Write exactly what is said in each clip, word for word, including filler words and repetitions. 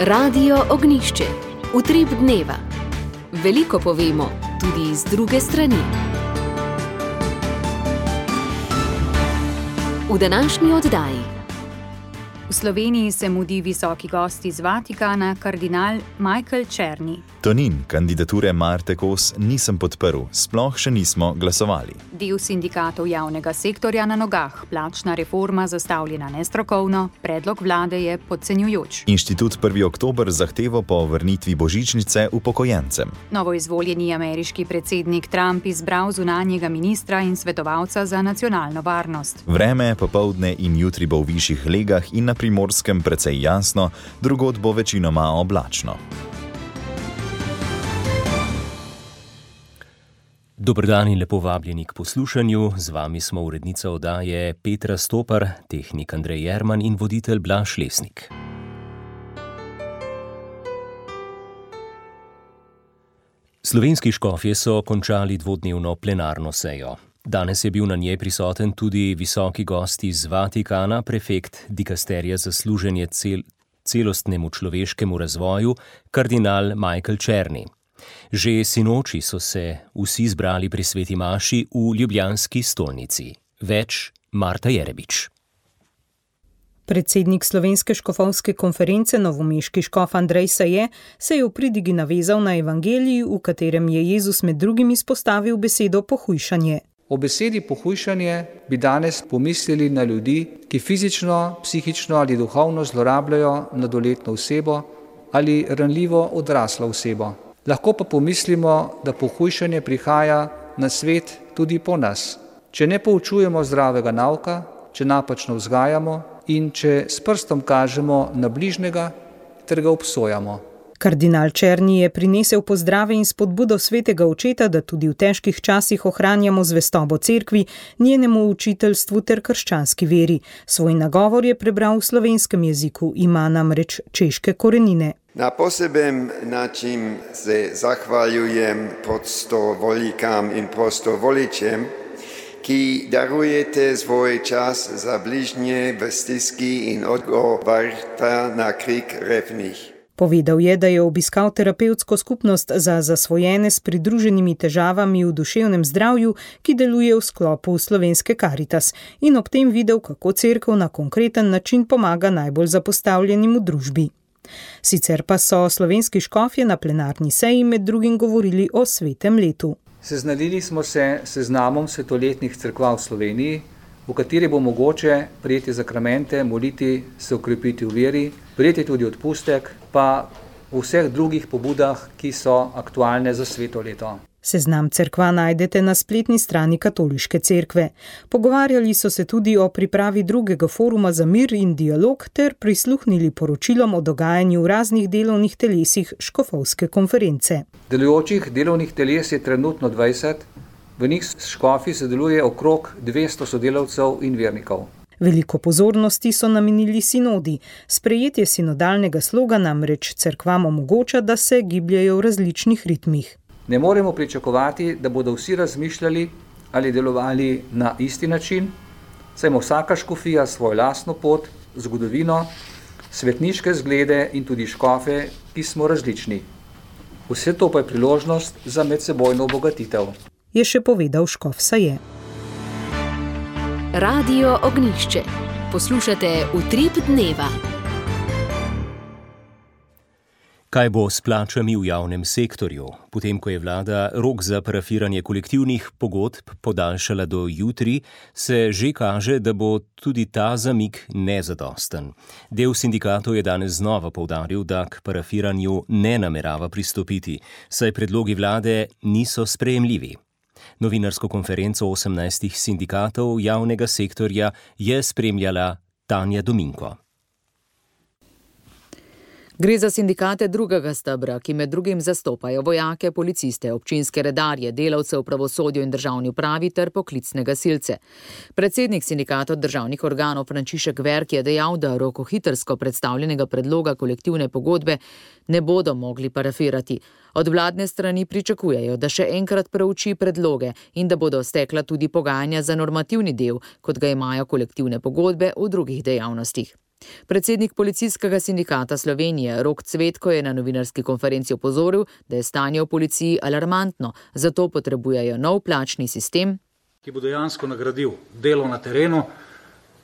Radio Ognjišče. Utrip dneva. Veliko povemo, tudi z druge strani. V današnji oddaji. V Sloveniji se mudi visoki gost iz Vatikana, kardinal Michael Czerny. Tonin, kandidature Marte Kos nisem podprl, sploh še nismo glasovali. Del sindikatov javnega sektorja na nogah, plačna reforma zastavljena nestrokovno, predlog vlade je podcenjujoč. Inštitut prvi oktober zahtevo po vrnitvi božičnice upokojencem. Novoizvoljeni ameriški predsednik Trump izbral zunanjega ministra in svetovalca za nacionalno varnost. Vreme popoldne in jutri bo v višjih legah in na Primorskem precej jasno, drugod bo večinoma oblačno. Dober dan in lepo vabljeni k poslušanju. Z vami smo urednica oddaje Petra Stopar, tehnik Andrej Jerman in voditelj Blaž Lesnik. Slovenski škofje so končali dvodnevno plenarno sejo. Danes je bil na njej prisoten tudi visoki gost iz Vatikana, prefekt dikasterija za služenje cel, celostnemu človeškemu razvoju, kardinal Michael Czerny. Že sinoči so se vsi zbrali pri sveti maši v ljubljanski stolnici. Več Marta Jerebič. Predsednik Slovenske škofovske konference, novomeški škof Andrej Saje, se je v pridigi navezal na evangelij, v katerem je Jezus med drugim izpostavil besedo pohujšanje. O besedi pohujšanje bi danes pomislili na ljudi, ki fizično, psihično ali duhovno zlorabljajo mladoletno osebo ali ranljivo odraslo osebo. Lahko pa pomislimo, da pohujšanje prihaja na svet tudi po nas. Če ne poučujemo zdravega nauka, če napačno vzgajamo in če s prstom kažemo na bližnjega ter ga obsojamo. Kardinal Czerny je prinesel pozdrave in spodbudo svetega očeta, da tudi v težkih časih ohranjamo zvestobo cerkvi, njenemu učiteljstvu ter krščanski veri. Svoj nagovor je prebral v slovenskem jeziku, ima namreč češke korenine. Na poseben način se zahvaljujem prostovoljkam in prostovoličem, ki darujete svoj čas za bližnje v stiski in odgovarjate na krik revnih. Povedal je, da je obiskal terapevtsko skupnost za zasvojene s pridruženimi težavami v duševnem zdravju, ki deluje v sklopu Slovenske Karitas, in ob tem videl, kako cerkev na konkreten način pomaga najbolj zapostavljenim v družbi. Sicer pa so slovenski škofje na plenarni seji med drugim govorili o svetem letu. Seznanili smo se s seznamom svetoletnih cerkva v Sloveniji, v kateri bo mogoče prijeti zakramente, moliti, se okrepiti v veri, prijeti tudi odpustek, pa v vseh drugih pobudah, ki so aktualne za sveto leto. Seznam cerkva najdete na spletni strani Katoliške cerkve. Pogovarjali so se tudi o pripravi drugega foruma za mir in dialog ter prisluhnili poročilom o dogajanju v raznih delovnih telesih škofovske konference. Delujočih delovnih teles je trenutno dvajset, v njih škofi sodeluje okrog dvesto sodelavcev in vernikov. Veliko pozornosti so namenili sinodi. Sprejetje sinodalnega sloga namreč cerkvam omogoča, da se gibljajo v različnih ritmih. Ne moremo pričakovati, da bodo vsi razmišljali ali delovali na isti način, saj ima vsaka škofija svojo lastno pot, zgodovino, svetniške zglede in tudi škofe, ki smo različni. Vse to pa je priložnost za medsebojno obogatitev. Je še povedal škof Saje. Radio Ognjišče. Poslušate Utrip dneva. Kaj bo s plačami v javnem sektorju? Potem, ko je vlada rok za parafiranje kolektivnih pogodb podaljšala do jutri, se že kaže, da bo tudi ta zamik nezadosten. Del sindikatov je danes znova poudaril, da k parafiranju ne namerava pristopiti, saj predlogi vlade niso sprejemljivi. Novinarsko konferenco osemnajstih sindikatov javnega sektorja je spremljala Tanja Dominko. Gre za sindikate drugega stebra, ki med drugim zastopajo vojake, policiste, občinske redarje, delavce v pravosodju in državni upravi ter poklicne gasilce. Predsednik sindikata državnih organov Frančišek Verk je dejal, da rokohitrsko predstavljenega predloga kolektivne pogodbe ne bodo mogli parafirati. Od vladne strani pričakujejo, da še enkrat preuči predloge in da bodo stekla tudi pogajanja za normativni del, kot ga imajo kolektivne pogodbe v drugih dejavnostih. Predsednik Policijskega sindikata Slovenije Rok Cvetko je na novinarski konferenci opozoril, da je stanje v policiji alarmantno, zato potrebujejo nov plačni sistem, ki bo dejansko nagradil delo na terenu,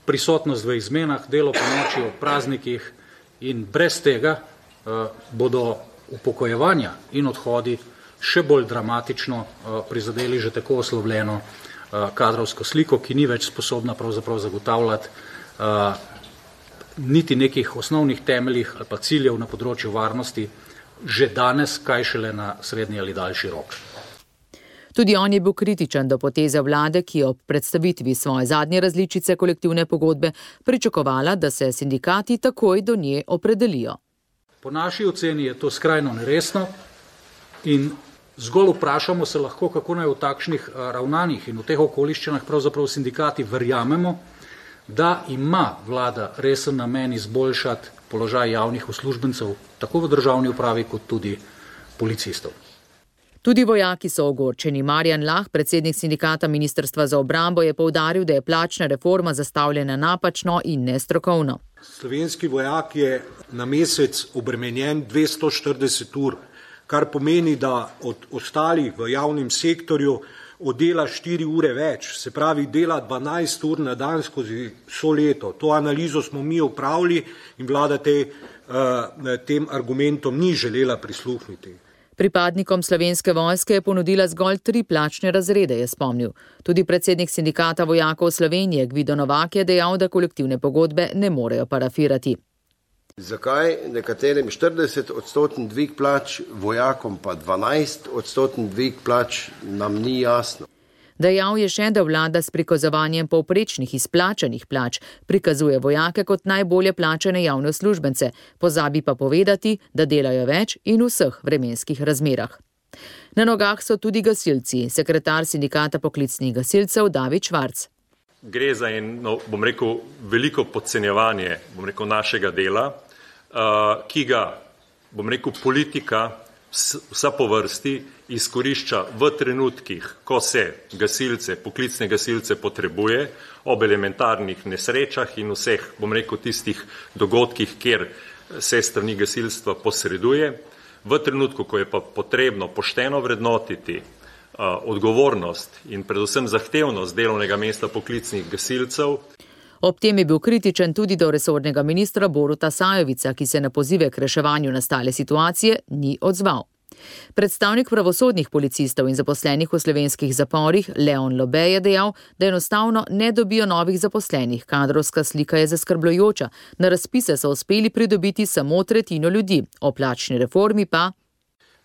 prisotnost v izmenah, delo po noči ob praznikih, in brez tega uh, bodo upokojevanja in odhodi še bolj dramatično uh, prizadeli že tako oslovljeno uh, kadrovsko sliko, ki ni več sposobna pravzaprav zagotavljati uh, niti nekih osnovnih temeljih ali pa ciljev na področju varnosti že danes, kaj šele na srednji ali daljši rok. Tudi on je bil kritičen do poteze vlade, ki je ob predstavitvi svoje zadnje različice kolektivne pogodbe pričakovala, da se sindikati takoj do nje opredelijo. Po naši oceni je to skrajno neresno in zgolj vprašamo se lahko, kako naj v takšnih ravnanjih in v teh okoliščinah pravzaprav sindikati verjamemo, da ima vlada resen namen izboljšati položaj javnih uslužbencev, tako v državni upravi kot tudi policistov. Tudi vojaki so ogorčeni. Marjan Lah, predsednik sindikata Ministrstva za obrambo, je poudaril, da je plačna reforma zastavljena napačno in nestrokovno. Slovenski vojak je na mesec obremenjen dvesto štirideset ur, kar pomeni, da od ostalih v javnem sektorju oddela štiri ure več, se pravi dela dvanajst ur na dan skozi vso leto. To analizo smo mi opravili in vlada te, uh, tem argumentom ni želela prisluhniti. Pripadnikom Slovenske vojske je ponudila zgolj tri plačne razrede, je spomnil. Tudi predsednik sindikata vojakov Slovenije Gvido Novak je dejal, da kolektivne pogodbe ne morejo parafirati. Zakaj nekaterim štirideset odstoten dvig plač, vojakom pa dvanajst odstoten dvig plač, nam ni jasno. Dejal je še, da vlada s prikazovanjem povprečnih izplačanih plač prikazuje vojake kot najbolje plačane javne uslužbence, pozabi pa povedati, da delajo več in v vseh vremenskih razmerah. Na nogah so tudi gasilci, sekretar sindikata poklicnih gasilcev David Švarc. Gre za eno, bom rekel, veliko podcenjevanje, bom rekel, našega dela, uh, ki ga, bom rekel, politika vsa po vrsti izkorišča v trenutkih, ko se gasilce, poklicne gasilce potrebuje, ob elementarnih nesrečah in vseh, bom rekel, tistih dogodkih, kjer se strani gasilstva posreduje. V trenutku, ko je pa potrebno pošteno vrednotiti uh, odgovornost in predvsem zahtevnost delovnega mesta poklicnih gasilcev. Ob tem je bil kritičen tudi do resornega ministra Boruta Sajovica, ki se na pozive k reševanju nastale situacije ni odzval. Predstavnik pravosodnih policistov in zaposlenih v slovenskih zaporih Leon Lobe je dejal, da enostavno ne dobijo novih zaposlenih. Kadrovska slika je zaskrbljujoča. Na razpise so uspeli pridobiti samo tretjino ljudi. O plačni reformi pa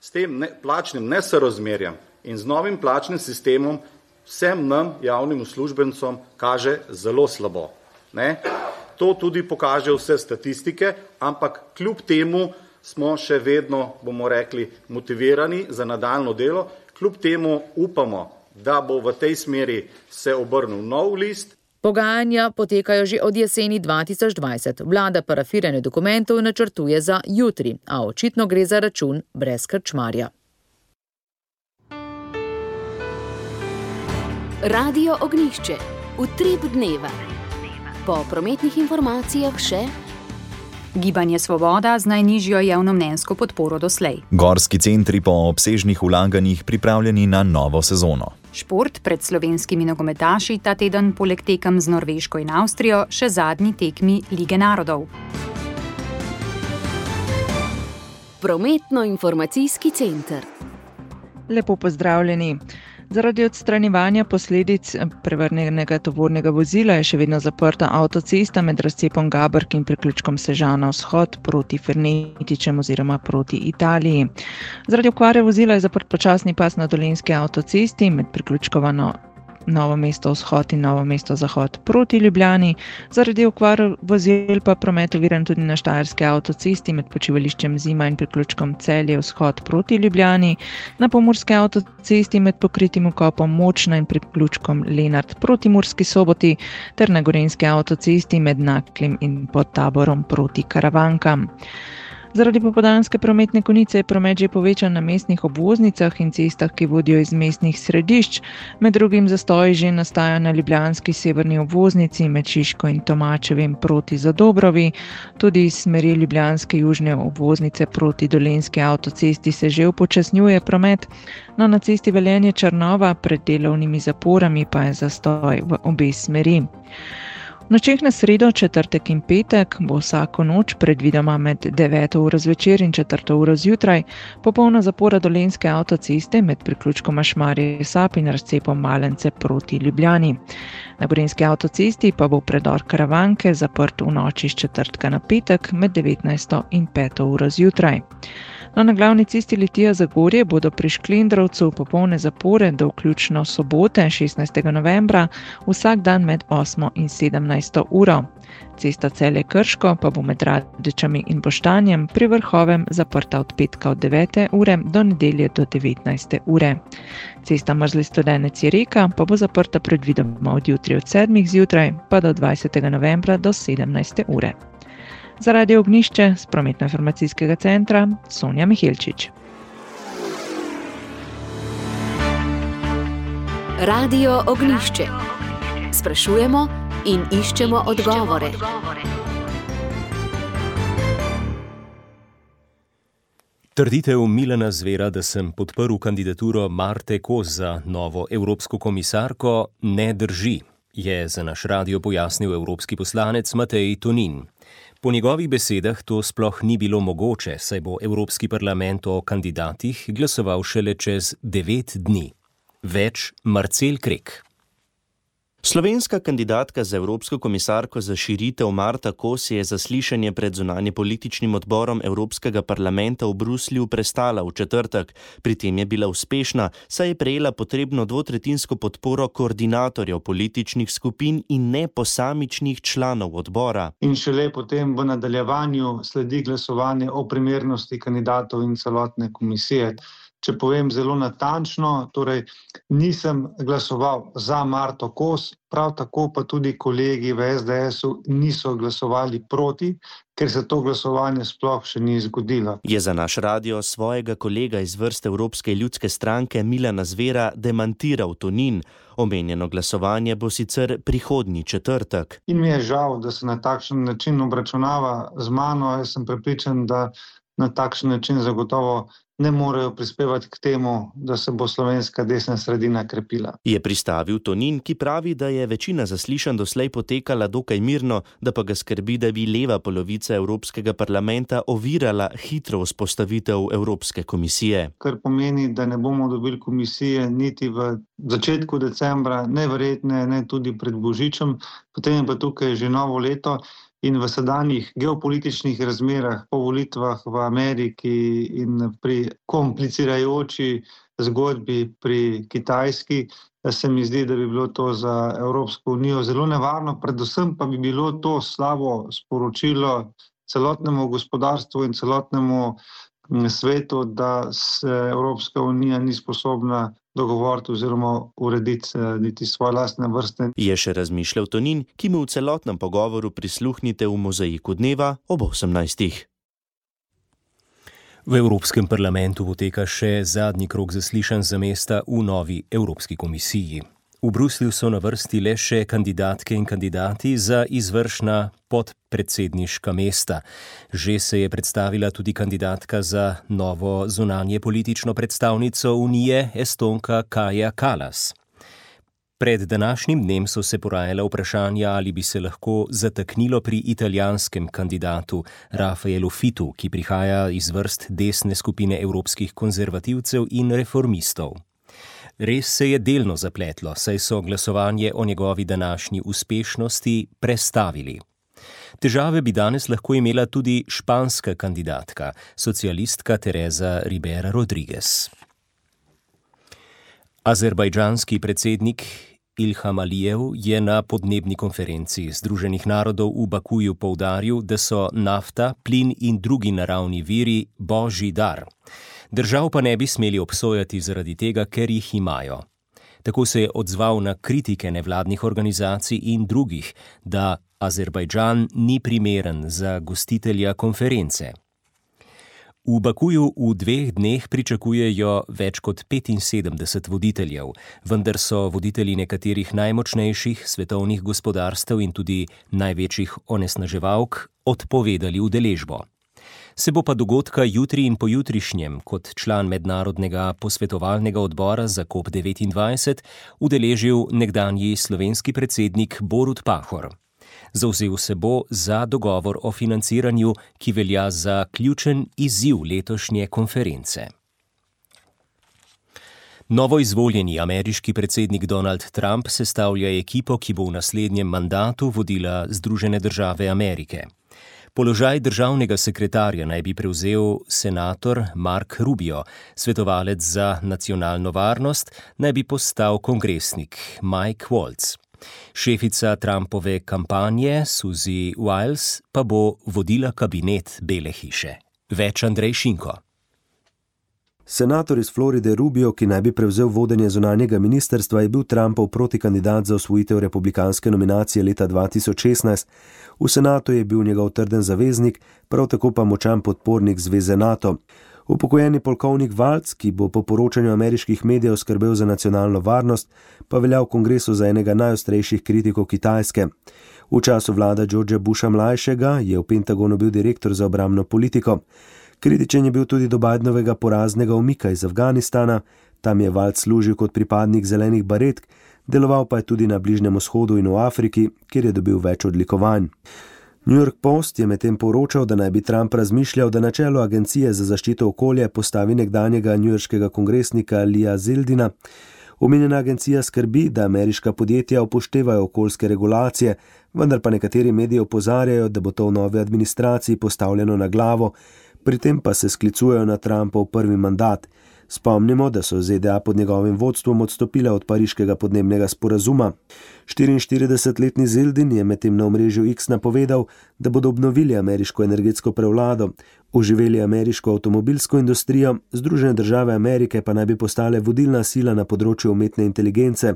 s tem ne, plačnim nesorazmerjem in z novim plačnim sistemom vsem nam, javnim uslužbencom, kaže zelo slabo. Ne? To tudi pokaže vse statistike, ampak kljub temu smo še vedno, bomo rekli, motivirani za nadaljno delo. Kljub temu upamo, da bo v tej smeri se obrnil nov list. Pogajanja potekajo že od jeseni dva tisoč dvajset. Vlada parafiranje dokumentov načrtuje za jutri, a očitno gre za račun brez krčmarja. Radio Ognjišče. Utrip dneva. Po prometnih informacijah še Gibanje Svoboda z najnižjo javnomnenjsko podporo doslej. Gorski centri po obsežnih vlaganjih pripravljeni na novo sezono. Šport pred slovenskimi nogometaši ta teden poleg tekem z Norveško in Avstrijo še zadnji tekmi Lige narodov. Prometno-informacijski center. Lepo pozdravljeni. Zaradi odstranjevanja posledic prevrnjenega tovornega vozila je še vedno zaprta avtocesta med razcepom Gabrk in priključkom Sežana vzhod proti Fernetičem oziroma proti Italiji. Zaradi okvare vozila je zaprt počasni pas na Dolenjski avtocesti med priključkovano Novo mesto vzhod in Novo mesto zahod proti Ljubljani. Zaradi okvar vozil pa promet oviran tudi na Štajerski avtocesti med počivališčem Zima in priključkom Celje vzhod proti Ljubljani, na Pomurski avtocesti med pokritim vkopom Močna in priključkom Lenart proti Murski Soboti ter na Gorenjski avtocesti med Naklem in Podtaborom proti Karavankam. Zaradi popoldanske prometne konice je promet že povečan na mestnih obvoznicah in cestah, ki vodijo iz mestnih središč. Med drugim zastoji že nastajajo na ljubljanski severni obvoznici med Šiško in Tomačevim proti Zadobrovi. Tudi iz smeri ljubljanske južne obvoznice proti Dolenjski avtocesti se že upočasnjuje promet. No, na cesti Velenje-Črnova pred delovnimi zaporami pa je zastoj v obe smeri. V nočeh na sredo, četrtek in petek bo vsako noč predvidoma med deveto uro zvečer in četrto uro zjutraj popolna zapora Dolenjske avtoceste med priključkoma Šmarje-Sap in razcepom Malence proti Ljubljani. Na Gorenjski avtocesti pa bo predor Karavanke zaprt v noči s četrtka na petek med devetnajsto in peto uro zjutraj. No, na glavni cesti Litija-Zagorje bodo pri Šklendrovcu popolne zapore do vključno sobote, šestnajstega novembra, vsak dan med osmo in sedemnajsto uro. Cesta Celje-Krško pa bo med Radečami in Boštanjem pri Vrhovem zaprta od petka od devete ure do nedelje do devetnajste ure. Cesta Mrzli-Studenec-Jereka pa bo zaprta predvidoma od jutri od sedmih zjutraj pa do dvajsetega novembra do sedemnajste ure. Za Radio Ognjišče z prometno-informacijskega centra Sonja Mihelčič. Radio Ognjišče. Sprašujemo in iščemo odgovore. Trditev Milana Zvera, da sem podprl kandidaturo Marte Kos za novo evropsko komisarko, ne drži, je za naš radio pojasnil evropski poslanec Matej Tonin. Po njegovih besedah to sploh ni bilo mogoče, saj bo Evropski parlament o kandidatih glasoval šele čez devet dni. Več Marcel Krek. Slovenska kandidatka za evropsko komisarko za širitev Marta Kos je zaslišanje pred zunanjepolitičnim odborom Evropskega parlamenta v Bruslju prestala v četrtek. Pri tem je bila uspešna, saj je prejela potrebno dvotretjinsko podporo koordinatorjev političnih skupin in ne posamičnih članov odbora. In šele potem v nadaljevanju sledi glasovanje o primernosti kandidatov in celotne komisije. Če povem zelo natančno, torej nisem glasoval za Marto Kos, prav tako pa tudi kolegi v es de esu niso glasovali proti, ker se to glasovanje sploh še ni zgodilo. Je za naš radio svojega kolega iz vrste Evropske ljudske stranke Milana Zvera demantiral Tonin. Omenjeno glasovanje bo sicer prihodnji četrtek. In mi je žal, da se na takšen način obračunava z mano. Jaz sem prepričan, da na takšen način zagotovo ne morejo prispevati k temu, da se bo slovenska desna sredina krepila. Je pristavil Tonin, ki pravi, da je večina zaslišanj doslej potekala dokaj mirno, da pa ga skrbi, da bi leva polovica Evropskega parlamenta ovirala hitro vzpostavitev Evropske komisije. Kar pomeni, da ne bomo dobili komisije niti v začetku decembra, neverjetne, ne tudi pred Božičem, potem je pa tukaj že novo leto. In v sedanjih geopolitičnih razmerah po volitvah v Ameriki in pri komplicirajoči zgodbi pri Kitajski, se mi zdi, da bi bilo to za Evropsko unijo zelo nevarno, predvsem pa bi bilo to slabo sporočilo celotnemu gospodarstvu in celotnemu svetu, da se Evropska unija ni sposobna dogovoriti oziroma urediti niti svoje lastne vrste. Je še razmišljal Tonin, ki mu v celotnem pogovoru prisluhnite v Mozaiku dneva ob osemnajstih. V Evropskem parlamentu poteka še zadnji krog zaslišanj za mesta v novi Evropski komisiji. V Bruslju so na vrsti le še kandidatke in kandidati za izvršna podpredsedniška mesta. Že se je predstavila tudi kandidatka za novo zunanje politično predstavnico Unije, Estonka Kaja Kallas. Pred današnjim dnem so se porajala vprašanja, ali bi se lahko zataknilo pri italijanskem kandidatu Rafaelu Fitu, ki prihaja iz vrst desne skupine evropskih konzervativcev in reformistov. Res se je delno zapletlo, saj so glasovanje o njegovi današnji uspešnosti prestavili. Težave bi danes lahko imela tudi španska kandidatka, socialistka Teresa Ribera Rodriguez. Azerbajdžanski predsednik Ilham Alijev je na podnebni konferenci Združenih narodov v Bakuju poudaril, da so nafta, plin in drugi naravni viri božji dar. Držav pa ne bi smeli obsojati zaradi tega, ker jih imajo. Tako se je odzval na kritike nevladnih organizacij in drugih, da Azerbajdžan ni primeren za gostitelja konference. V Bakuju v dveh dneh pričakujejo več kot petinsedemdeset voditeljev, vendar so voditelji nekaterih najmočnejših svetovnih gospodarstev in tudi največjih onesnaževalk odpovedali udeležbo. Se bo pa dogodka jutri in pojutrišnjem kot član mednarodnega posvetovalnega odbora za COP devetindvajset udeležil nekdanji slovenski predsednik Borut Pahor. Zavzel se bo za dogovor o financiranju, ki velja za ključen izziv letošnje konference. Novoizvoljeni ameriški predsednik Donald Trump sestavlja ekipo, ki bo v naslednjem mandatu vodila Združene države Amerike. Položaj državnega sekretarja naj bi prevzel senator Mark Rubio, svetovalec za nacionalno varnost naj bi postal kongresnik Mike Waltz. Šefica Trumpove kampanje Suzy Wiles pa bo vodila kabinet Bele hiše. Več Andrej Šinko. Senator iz Floride Rubio, ki naj bi prevzel vodenje zunanjega ministrstva, je bil Trumpov protikandidat za osvojitev republikanske nominacije leta dva tisoč šestnajst. V senatu je bil njegov trden zaveznik, prav tako pa močan podpornik zveze NATO. Upokojeni polkovnik Waltz, ki bo po poročanju ameriških medijev skrbel za nacionalno varnost, pa velja v kongresu za enega najostrejših kritikov Kitajske. V času vlada Georgea Busha mlajšega je v Pentagonu bil direktor za obrambno politiko. Kritičen je bil tudi do Bidenovega poraznega umika iz Afganistana, tam je Waltz služil kot pripadnik zelenih baretk, deloval pa je tudi na Bližnjem vzhodu in v Afriki, kjer je dobil več odlikovanj. New York Post je medtem poročal, da naj bi Trump razmišljal, da na čelo Agencije za zaščito okolja postavi nekdanjega newyorškega kongresnika Leeja Zeldina. Omenjena agencija skrbi, da ameriška podjetja upoštevajo okoljske regulacije, vendar pa nekateri mediji opozarjajo, da bo to v novi administraciji postavljeno na glavo, pri tem pa se sklicujejo na Trumpov prvi mandat. Spomnimo, da so Z D A pod njegovim vodstvom odstopile od pariškega podnebnega sporazuma. štiriinštiridesetletni Zeldin je medtem na omrežju X napovedal, da bodo obnovili ameriško energetsko prevlado, oživeli ameriško avtomobilsko industrijo, Združene države Amerike pa naj bi postale vodilna sila na področju umetne inteligence.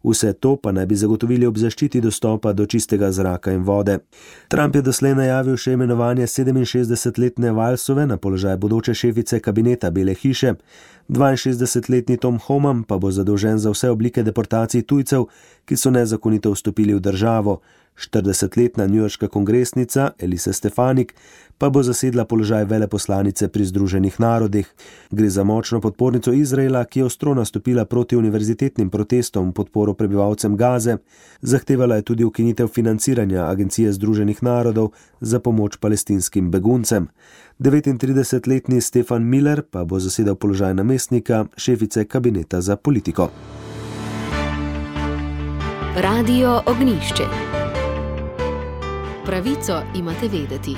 Vse to pa naj bi zagotovili ob zaščiti dostopa do čistega zraka in vode. Trump je doslej najavil še imenovanje sedeminšestdesetletne Walesove na položaj bodoče šefice kabineta Bele hiše. dvainšestdesetletni Tom Homan pa bo zadolžen za vse oblike deportacij tujcev, ki so nezakonito vstopili v državo. štiridesetletna newyorška kongresnica Elise Stefanik pa bo zasedla položaj veleposlanice pri Združenih narodih. Gre za močno podpornico Izraela, ki je ostro nastopila proti univerzitetnim protestom v podporo prebivalcem Gaze. Zahtevala je tudi ukinitev financiranja Agencije Združenih narodov za pomoč palestinskim beguncem. devetintridesetletni Stefan Miller pa bo zasedal položaj namestnika šefice kabineta za politiko. Radio Ognjišče. Pravico imate vedeti.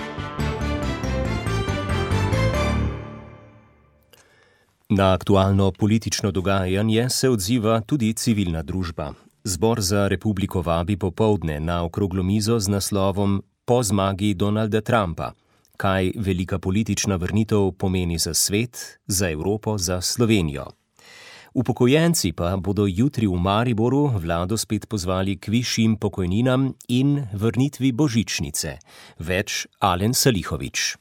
Na aktualno politično dogajanje se odziva tudi civilna družba. Zbor za republiko vabi popoldne na okroglo mizo z naslovom Po zmagi Donalda Trumpa. Kaj velika politična vrnitev pomeni za svet, za Evropo, za Slovenijo. Upokojenci pa bodo jutri v Mariboru vlado spet pozvali k višjim pokojninam in vrnitvi božičnice. Več Alen Salihovič.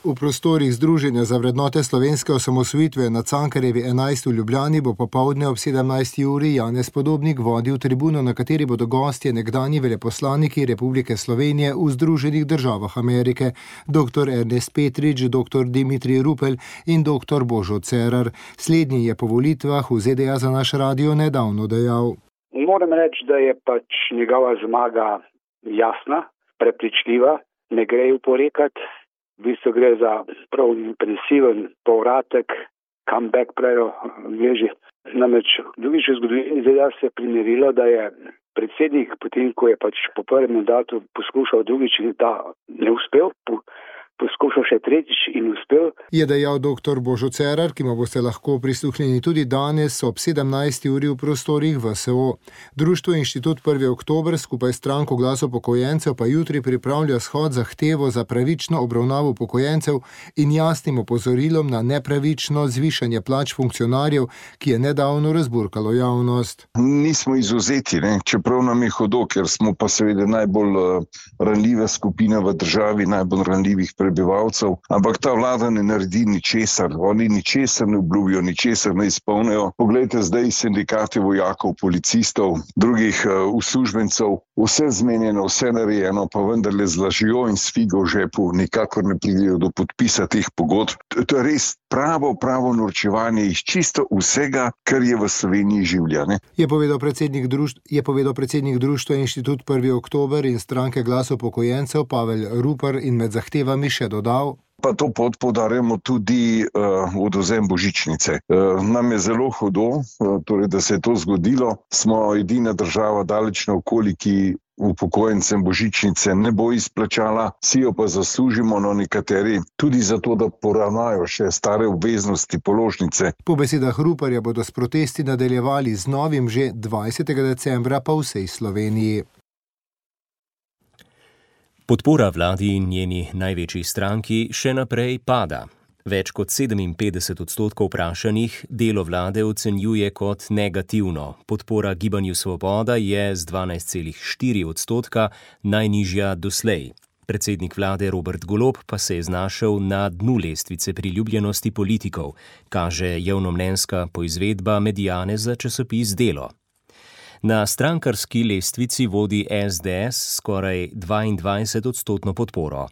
V prostorih Združenja za vrednote slovenske osamosvojitve na Cankarjevi enajst v Ljubljani bo popoldne ob sedemnajsti uri Janez Podobnik vodil tribuno, na kateri bodo gostje nekdanji veleposlaniki Republike Slovenije v Združenih državah Amerike, doktor Ernest Petrič, doktor Dimitrij Rupel in doktor Božo Cerar. Slednji je po volitvah v Z D A za naš radio nedavno dejal. Moram reči, da je pač njegova zmaga jasna, prepričljiva, ne gre jo porekati. V bistvu gre za prav impresiven povratek, comeback pravijo veži. Namreč drugič v zgodovini Z D A se je primerilo, da je predsednik, potem ko je pač po prvem mandatu poskušal drugič in ta ne uspel, poskušal še tretjič in uspel. Je dejal doktor Božo Cerar, ki mu boste lahko prisluhnili tudi danes ob sedemnajsti uri v prostorih V S O. Društvo Inštitut prvi oktober skupaj s stranko Glas upokojencev pa jutri pripravlja shod zahtevo za pravično obravnavo upokojencev in jasnim opozorilom na nepravično zvišanje plač funkcionarjev, ki je nedavno razburkalo javnost. Nismo izvzeti, ne? Čeprav nam je hudo, ker smo pa seveda najbolj ranljive skupine v državi, najbolj ranljivih prebivalcev, ampak ta vlada ne naredi ničesar, oni ničesar ne obljubijo, ničesar ne izpolnijo. Poglejte zdaj sindikate vojakov, policistov, drugih uh, uslužbencev, vse zmenjeno, vse narejeno, pa vendarle z lažjo in s figo v žepu nikakor ne pridejo do podpisa teh pogodb. To je res pravo, pravo norčevanje iz čisto vsega, kar je v Sloveniji življa. Ne? Je povedal predsednik društva, je povedal predsednik društva Inštitut prvi oktober in stranke Glas upokojencev Pavel Rupar in med zahtevami še dodal: Pa to pot podarjamo tudi uh, odvzem božičnice. Uh, nam je zelo hudo, uh, torej, da se je to zgodilo. Smo edina država daleč naokoli, ki upokojencem božičnice ne bo izplačala, si jo pa zaslužimo, no nekateri tudi zato, da poravnajo še stare obveznosti položnice. Po besedah Ruparja bodo s protesti nadaljevali z novim že dvajsetega decembra pa v vsej Sloveniji. Podpora vladi in njeni največji stranki še naprej pada. Več kot sedeminpetdeset odstotkov vprašanih delo vlade ocenjuje kot negativno. Podpora Gibanju Svoboda je z dvanajst celih štiri odstotka najnižja doslej. Predsednik vlade Robert Golob pa se je znašel na dnu lestvice priljubljenosti politikov, kaže javnomnenjska poizvedba Mediane za časopis Delo. Na strankarski lestvici vodi es de es skoraj dvaindvajset odstotno podporo.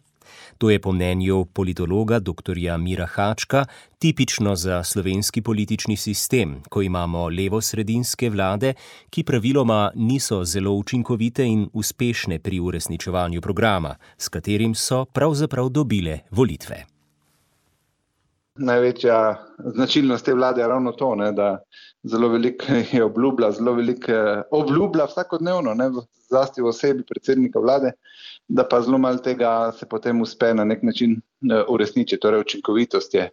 To je po mnenju politologa doktorja Mira Hačka tipično za slovenski politični sistem, ko imamo levosredinske vlade, ki praviloma niso zelo učinkovite in uspešne pri uresničevanju programa, s katerim so pravzaprav dobile volitve. Največja značilnost te vlade je ravno to, ne, da zelo veliko je obljublja, zelo veliko obljublja vsakodnevno, ne, zlasti v osebi predsednika vlade, da pa zelo malo tega se potem uspe na nek način uresničiti. Torej učinkovitost je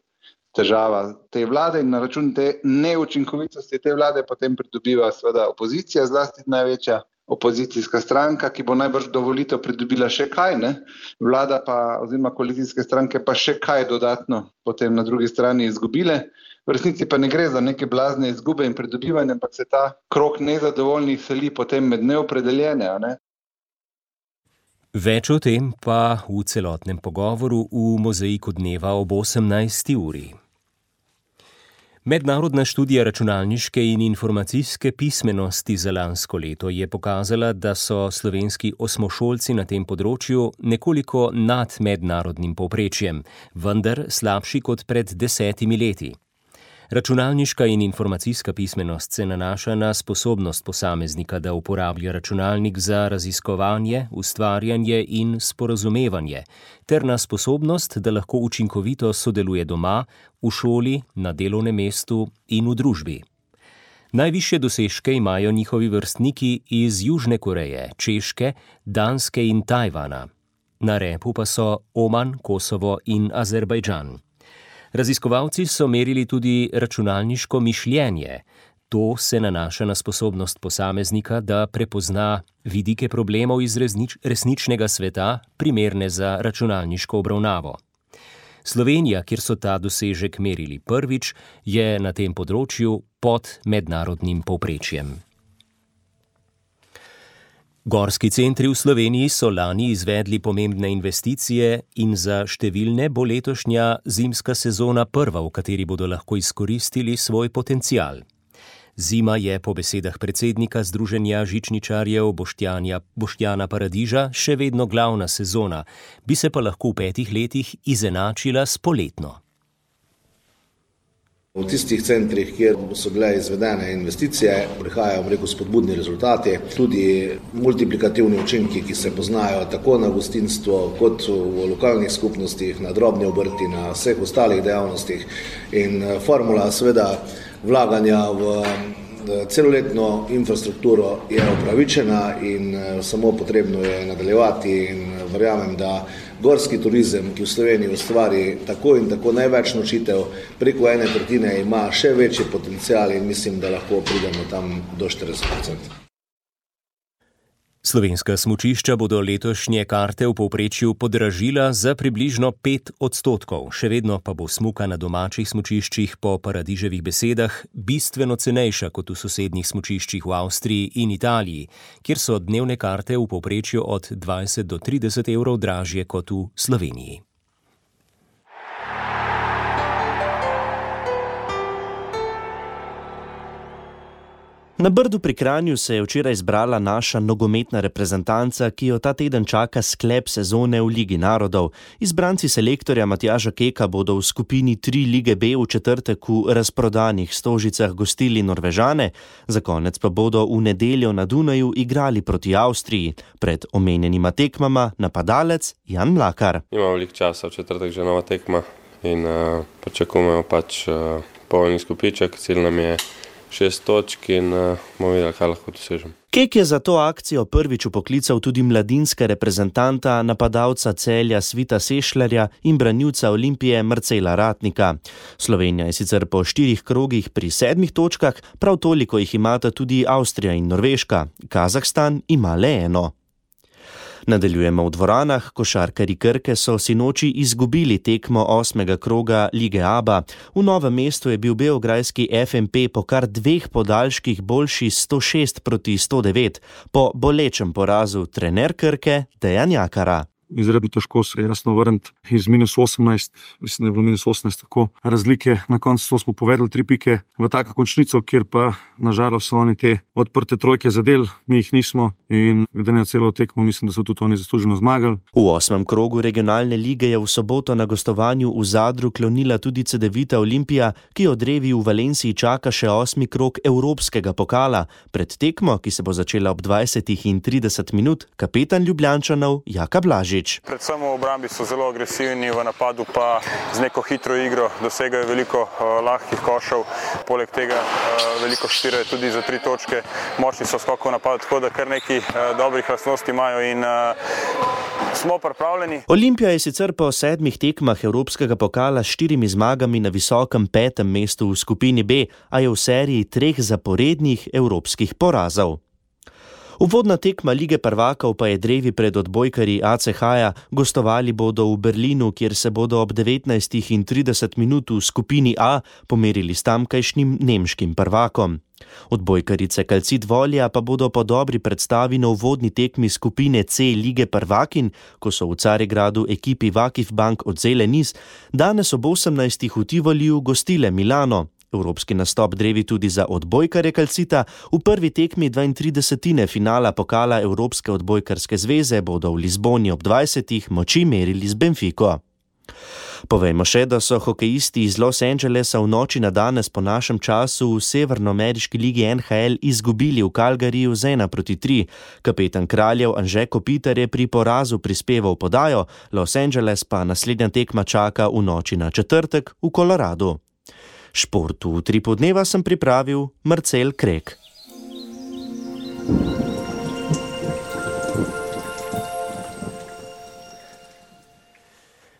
težava te vlade in na račun te neučinkovitosti te vlade potem pridobiva seveda opozicija, zlasti največja opozicijska stranka, ki bo najbrž do volitev pridobila še kaj, ne? Vlada pa oziroma koalicijske stranke pa še kaj dodatno potem na drugi strani izgubile. V resnici pa ne gre za neke blazne izgube in pridobivanje, ampak se ta krog nezadovoljnih seli potem med neopredeljene, ne? Več o tem pa v celotnem pogovoru v Mozaiku dneva ob osemnajsti uri. Mednarodna študija računalniške in informacijske pismenosti za lansko leto je pokazala, da so slovenski osmošolci na tem področju nekoliko nad mednarodnim povprečjem, vendar slabši kot pred desetimi leti. Računalniška in informacijska pismenost se nanaša na sposobnost posameznika, da uporablja računalnik za raziskovanje, ustvarjanje in sporazumevanje, ter na sposobnost, da lahko učinkovito sodeluje doma, v šoli, na delovnem mestu in v družbi. Najvišje dosežke imajo njihovi vrstniki iz Južne Koreje, Češke, Danske in Tajvana. Na repu pa so Oman, Kosovo in Azerbajdžan. Raziskovalci so merili tudi računalniško mišljenje. To se nanaša na sposobnost posameznika, da prepozna vidike problemov iz resnič, resničnega sveta, primerne za računalniško obravnavo. Slovenija, kjer so ta dosežek merili prvič, je na tem področju pod mednarodnim povprečjem. Gorski centri v Sloveniji so lani izvedli pomembne investicije in za številne bo letošnja zimska sezona prva, v kateri bodo lahko izkoristili svoj potencial. Zima je po besedah predsednika Združenja žičničarjev Boštjana, Boštjana Paradiža še vedno glavna sezona, bi se pa lahko v petih letih izenačila s poletno. V tistih centrih, kjer so bile izvedene investicije, prihajajo, rekel, spodbudni rezultati, tudi multiplikativni učinki, ki se poznajo tako na gostinstvo, kot v lokalnih skupnostih, na drobni obrti, na vseh ostalih dejavnostih. In formula seveda vlaganja v celoletno infrastrukturo je upravičena in samo potrebno je nadaljevati in verjamem, da gorski turizem, ki v Sloveniji ustvari tako in tako največ nočitev, preko ene tretjine ima še večji potencial in mislim, da lahko pridemo tam do štirideset procentov. Slovenska smučišča bodo letošnje karte v povprečju podražila za približno pet odstotkov, še vedno pa bo smuka na domačih smučiščih po Paradiževih besedah bistveno cenejša kot v sosednjih smučiščih v Avstriji in Italiji, kjer so dnevne karte v povprečju od dvajset do trideset evrov dražje kot v Sloveniji. Na Brdu pri Kranju se je včeraj zbrala naša nogometna reprezentanca, ki jo ta teden čaka sklep sezone v Ligi narodov. Izbranci selektorja Matjaža Keka bodo v skupini tri Lige B v četrtek v razprodanih Stožicah gostili Norvežane, za konec pa bodo v nedeljo na Dunaju igrali proti Avstriji. Pred omenjenima tekmama napadalec Jan Mlakar. Imamo veliko časa, v četrtek že nova tekma in uh, pričakujemo pač uh, polni skupiček, cilj nam je šest točk in uh, bomo videli, kaj lahko dosežem. Kek je za to akcijo prvič upoklical tudi mladinske reprezentanta, napadalca Celja Svita Sešljarja in branilca Olimpije Marcela Ratnika. Slovenija je sicer po štirih krogih pri sedmih točkah, prav toliko jih imata tudi Avstrija in Norveška. Kazahstan ima le eno. Nadaljujemo v dvoranah. Košarkarji Krke so sinoči izgubili tekmo osmega kroga Lige Aba. V Novem mestu je bil beograjski F M P po kar dveh podaljških boljši sto šest proti sto devet. Po bolečem porazu trener Krke Dejan Jakara. Izredno težko se je jasno vrniti iz minus osemnajst, mislim, da je bilo minus osemnajst tako razlike. Na koncu smo povedali tri pike v tako končnico, kjer pa nažalost so oni te odprte trojke zadeli, mi jih nismo in glede na celo tekmo mislim, da so tudi oni zasluženo zmagali. V osmem krogu regionalne lige je v soboto na gostovanju v Zadru klonila tudi Cedevita Olimpija, ki od Revi v Valenciji čaka še osmi krog Evropskega pokala. Pred tekmo, ki se bo začela ob dvajsetih in trideset minut, kapetan Ljubljančanov Jaka Blažič. Predvsem v obrambi so zelo agresivni, v napadu pa z neko hitro igro dosegajo veliko uh, lahkih košev, poleg tega uh, veliko štirajo tudi za tri točke, močni so skokov napad, tako da kar nekaj uh, dobrih lastnosti imajo in uh, smo pripravljeni. Olimpija je sicer po sedmih tekmah Evropskega pokala s štirimi zmagami na visokem petem mestu v skupini B, a je v seriji treh zaporednih evropskih porazov. Uvodna tekma Lige prvakov pa je drevi pred odbojkarji A C H-ja, gostovali bodo v Berlinu, kjer se bodo ob devetnajstih in trideset minut v skupini A pomerili s tamkajšnjim nemškim prvakom. Odbojkarice Calcit Volja pa bodo po dobri predstavi na uvodni tekmi skupine C Lige prvakin, ko so v Carigradu ekipi Vakif Bank odzele niz, danes ob osemnajstih v Tivoliju gostile Milano. Evropski nastop drevi tudi za odbojkarje Calcita. V prvi tekmi dvaintridesetine finala pokala Evropske odbojkarske zveze bodo v Lizboni ob dvajsetih moči merili z Benfico. Povejmo še, da so hokejisti iz Los Angelesa v noči na danes po našem času v severnoameriški ligi N H L izgubili v Calgaryju z ena proti tri. Kapetan Kraljev Anže Kopitar je pri porazu prispeval podajo, Los Angeles pa naslednja tekma čaka v noči na četrtek v Koloradu. Športu v Utripu dneva sem pripravil Marcel Krek.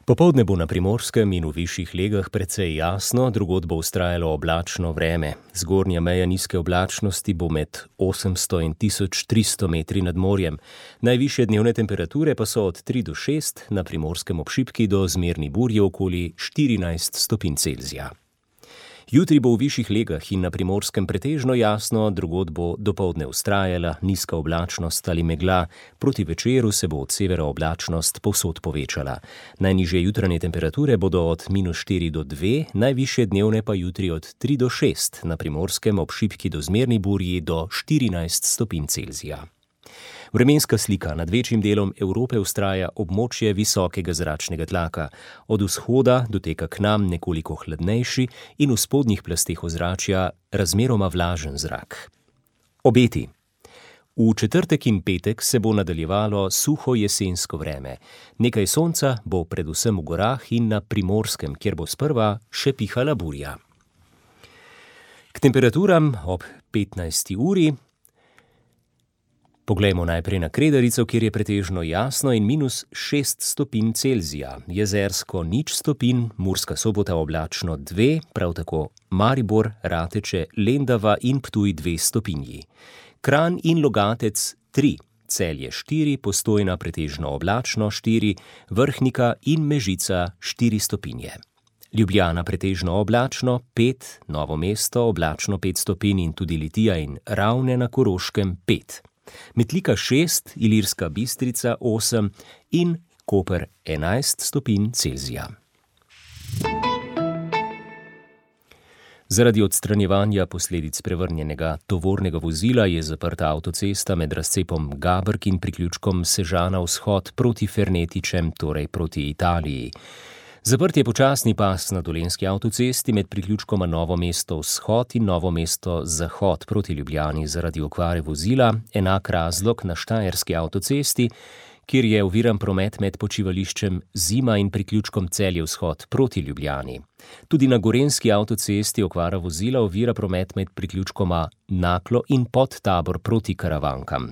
Popoldne bo na Primorskem in v višjih legah precej jasno, drugod bo vztrajalo oblačno vreme. Zgornja meja nizke oblačnosti bo med osemsto in tisoč tristo metri nad morjem. Najvišje dnevne temperature pa so od tri do šest, na Primorskem ob šibki do zmerni burji okoli štirinajst stopinj Celzija. Jutri bo v višjih legah in na Primorskem pretežno jasno, drugod bo dopoldne vztrajala nizka oblačnost ali megla, proti večeru se bo od severa oblačnost povsod povečala. Najnižje jutranje temperature bodo od minus štiri do dve, najvišje dnevne pa jutri od tri do šest, na Primorskem ob šibki do zmerni burji do štirinajst stopinj Celzija. Vremenska slika nad večjim delom Evrope vztraja območje visokega zračnega tlaka. Od vzhoda doteka k nam nekoliko hladnejši in v spodnjih plasteh ozračja razmeroma vlažen zrak. Obeti. V četrtek in petek se bo nadaljevalo suho jesensko vreme. Nekaj sonca bo predvsem v gorah in na Primorskem, kjer bo sprva še pihala burja. K temperaturam ob petnajsti uri poglejmo najprej na Kredarico, kjer je pretežno jasno in minus šest stopinj Celzija, Jezersko nič stopinj, Murska Sobota oblačno dve, prav tako Maribor, Rateče, Lendava in Ptuj dve stopinji. Kranj in Logatec tri, Celje štiri, Postojna pretežno oblačno štiri, Vrhnika in Mežica štiri stopinje. Ljubljana pretežno oblačno pet, Novo mesto oblačno pet stopinj in tudi Litija in Ravne na Koroškem pet. Metlika šest, Ilirska Bistrica osem in Koper enajst stopinj Celzija. Zaradi odstranjevanja posledic prevrnjenega tovornega vozila je zaprta avtocesta med razcepom Gabrk in priključkom Sežana vzhod proti Fernetičem, torej proti Italiji. Zaprt je počasni pas na dolenjski avtocesti med priključkoma Novo mesto vzhod in Novo mesto zahod proti Ljubljani zaradi okvare vozila, enak razlog na štajerski avtocesti, kjer je oviran promet med počivališčem Zima in priključkom Celje vzhod proti Ljubljani. Tudi na gorenjski avtocesti okvara vozila ovira promet med priključkoma Naklo in Podtabor proti Karavankam.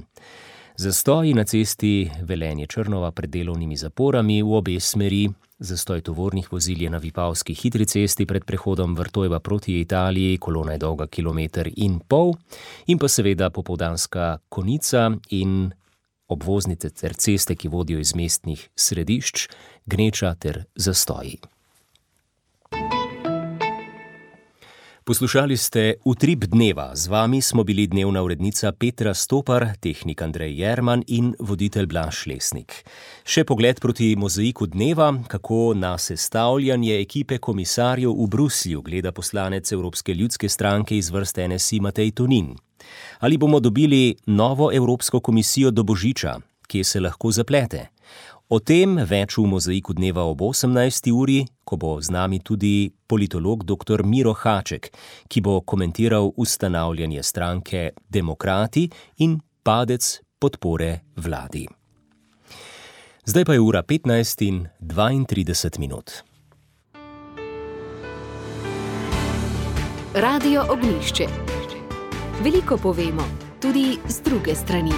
Zastoji na cesti Velenje-Črnova pred delovnimi zaporami v obe smeri, zastoj tovornih vozil je na Vipavski hitri cesti pred prehodom Vrtojba proti Italiji, kolona je dolga kilometer in pol, in pa seveda popoldanska konica in obvoznice ter ceste, ki vodijo iz mestnih središč, gneča ter zastoji. Poslušali ste Utrip dneva. Z vami smo bili dnevna urednica Petra Stopar, tehnik Andrej Jerman in voditelj Blaž Lesnik. Še pogled proti mozaiku dneva, kako na sestavljanje ekipe komisarjev v Bruslju gleda poslanec Evropske ljudske stranke iz vrst N S I Matej Tonin. Ali bomo dobili novo Evropsko komisijo do božiča, kje se lahko zaplete? O tem več v mozaiku dneva ob osemnajsti uri, ko bo z nami tudi politolog doktor Miro Haček, ki bo komentiral ustanavljanje stranke Demokrati in padec podpore vladi. Zdaj pa je ura petnajst in dvaintrideset minut. Radio Ognjišče. Veliko povemo, tudi z druge strani.